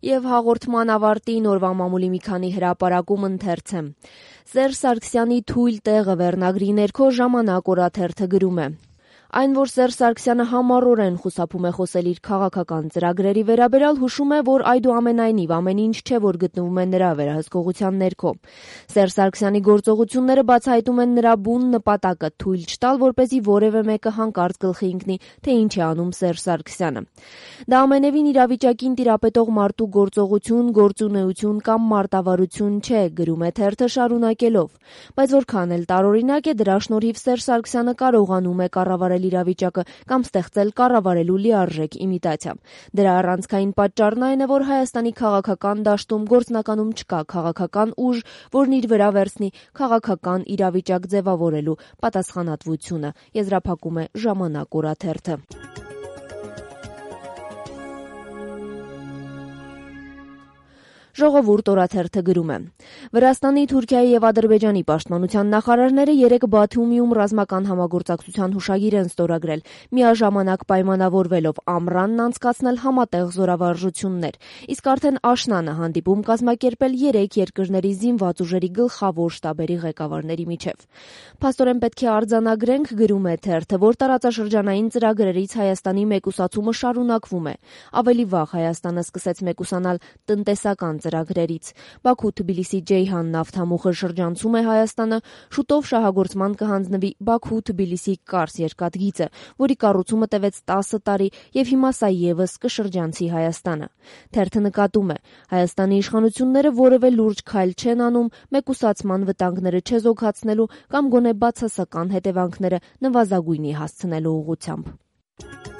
Եվ հաղորդման ավարտին օրվա մամուլի մի քանի հրապարակում ընթերց է։ Սերժ Սարգսյանի թույլ տեղը վերնագրի ներքո «Ժամանակ» օրաթերթը գրում է. Այն, որ Սերժ Սարգսյանը համառորեն խուսափում է խոսել իր քաղաքական ծրագրերի վերաբերյալ, հուշում է, որ այդուամենայնիվ ամեն ինչ չէ, որ գտնվում է նրա վերահսկողության ներքո։ Սերժ Սարգսյանի գործողությունները բացահայտում են նրա բուն նպատակը՝ թույլ չտալ, որպեսզի որևէ մեկը հանկարծ գլխի ընկնի, թե ինչ է անում Սերժ Սարգսյանը։ Դա ամենևին իրավիճակին տիրապետող մարդու գործողություն, գործունեություն կամ մարտավարություն չէ, գրում է թերթը շարունակելով։ Բայց որքան էլ տարօրինակ է, դրա շնորհիվ Սերժ Սարգսյանը կարողանում է կառավարել իրավիճակը կամ ստեղծել կառավարելու լիարժեք իմիտացիա։ Դրա առանցքային պատճառն այն է, որ Հայաստանի քաղաքական դաշտում գործնականում չկա քաղաքական ուժ, որն իր վրա վերցնի քաղաքական իրավիճակ ձևավորելու պատասխանատվությունը, եզրափակում է «Ժամանակ» օրաթերթը։ Ժողովուրդ օրաթերթը գրում է. Վրաստանի, Թուրքիայի եւ Ադրբեջանի պաշտպանության նախարարները երեկ Բաթումիում ռազմական համագործակցության հուշագիր են ստորագրել, միաժամանակ պայմանավորվելով ամռանն անցկացնել համատեղ զորավարժություններ, իսկ արդեն աշնանը հանդիպում կազմակերպել 3 երկրների զինված ուժերի գլխավոր շտաբերի ղեկավարների միջև։ Փաստորեն պետք է արձանագրենք, գրում է թերթը, որ տարածաշրջանային ծրագրերից Հայաստանի մեկուսացումը շարունակվում է։ Ավելի վաղ Հայաստանը սկսեց մեկուսանալ տնտեսական ծրագրերից։ Բաքու-Թբիլիսի-Ջեյհան նավթամուխը շրջանցում է Հայաստանը, շուտով շահագործման կհանձնվի Բաքու-Թբիլիսի-Կարս երկաթգիծը, որի կառուցումը տևեց 10 տարի եւ հիմա սա եւս կշրջանցի Հայաստանը։ Թերթը նկատում է. Հայաստանի իշխանությունները որևէ լուրջ քայլ չեն անում մեկուսացման վտանգները չեզոքացնելու կամ գոնե բացասական հետևանքները նվազագույնի հասցնելու ուղղությամբ։